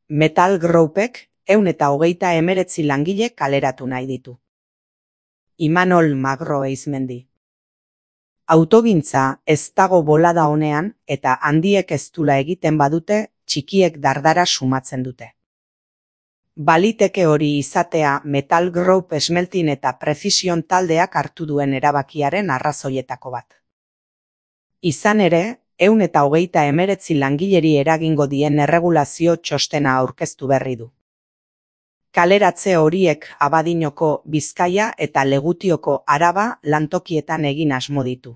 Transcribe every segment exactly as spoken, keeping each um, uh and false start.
Metal Groupek ehun eta hogeita hemeretzi langile kaleratu nahi ditu. Imanol Magro Eizmendi. Autogintza ez dago bolada honean eta handiek ez dula egiten badute, txikiek dardara sumatzen dute. Baliteke hori izatea Metal Group Esmeltin eta Precision taldeak hartu duen erabakiaren arrazoietako bat. Izan ere, ehun eta hogeita hemeretzi langileri eragingo dien erregulazio txostena aurkeztu berri du. Kaleratze horiek Abadiñoko, Bizkaia eta Legutioko Araba lantokietan egin asmo ditu.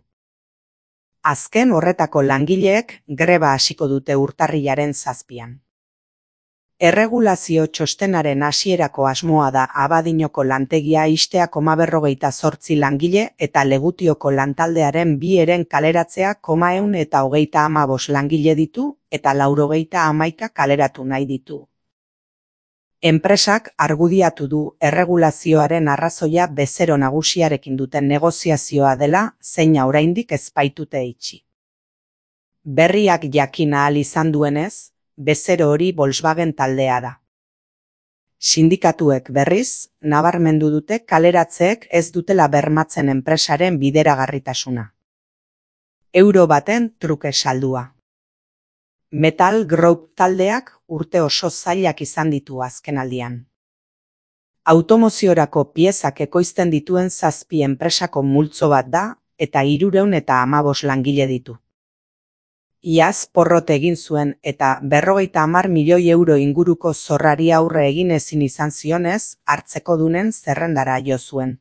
Azken horretako langileek greba hasiko dute urtarrilaren zazpian. Erregulazio txostenaren hasierako asmoa da Abadiñoko lantegia ixtea koma berrogeita zortzi langile eta Legutioko lantaldearen bi eren kaleratzea koma ehun eta hogeita hamabost langile ditu eta laurogeita hamaika kaleratu nahi ditu. Enpresak argudiatu du erregulazioaren arrazoia bezero nagusiarekin duten negoziazioa dela, zeina oraindik ez baitute itxi. Berriak jakin ahal izan duenez, bezero hori Volkswagen taldea da. Sindikatuek berriz, nabarmendu dute kaleratzeek ez dutela bermatzen enpresaren bideragarritasuna. Euro baten truke saldua. Metal Group taldeak urte oso zailak izan ditu azkenaldian. Automoziorako piezak ekoizten dituen zazpi enpresako multzo bat da eta hirurehun eta hamabost langile ditu. Iaz porrot egin zuen eta berrogeita hamar milioi euro inguruko zorrari aurre egin ezin izan zionez, hartzekodunen zerrendara jo zuen.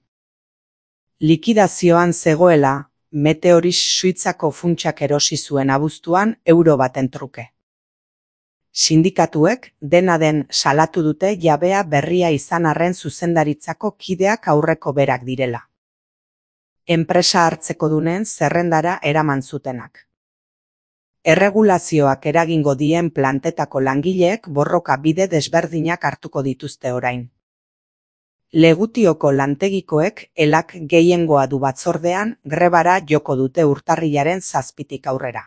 Likidazioan zegoela, Meteoris Suitzako funtsak erosi zuen abuztuan euro baten truke. Sindikatuek dena den salatu dute jabea berria izan arren zuzendaritzako kideak aurreko berak direla. Enpresa hartzekodunen zerrendara eraman zutenak. Erregulazioak eragingo dien plantetako langileek borroka bide desberdinak hartuko dituzte orain. Legutioko lantegikoek elak gehiengoa du batzordean grebara joko dute urtarrilaren zazpitik aurrera.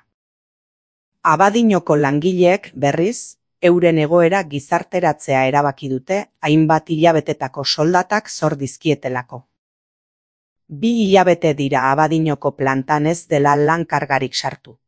Abadiñoko langileek berriz, euren egoera gizarteratzea erabaki dute hainbat hilabetetako soldatak zor dizkietelako. Bi hilabete dira Abadiñoko plantan ez dela lan kargarik sartu.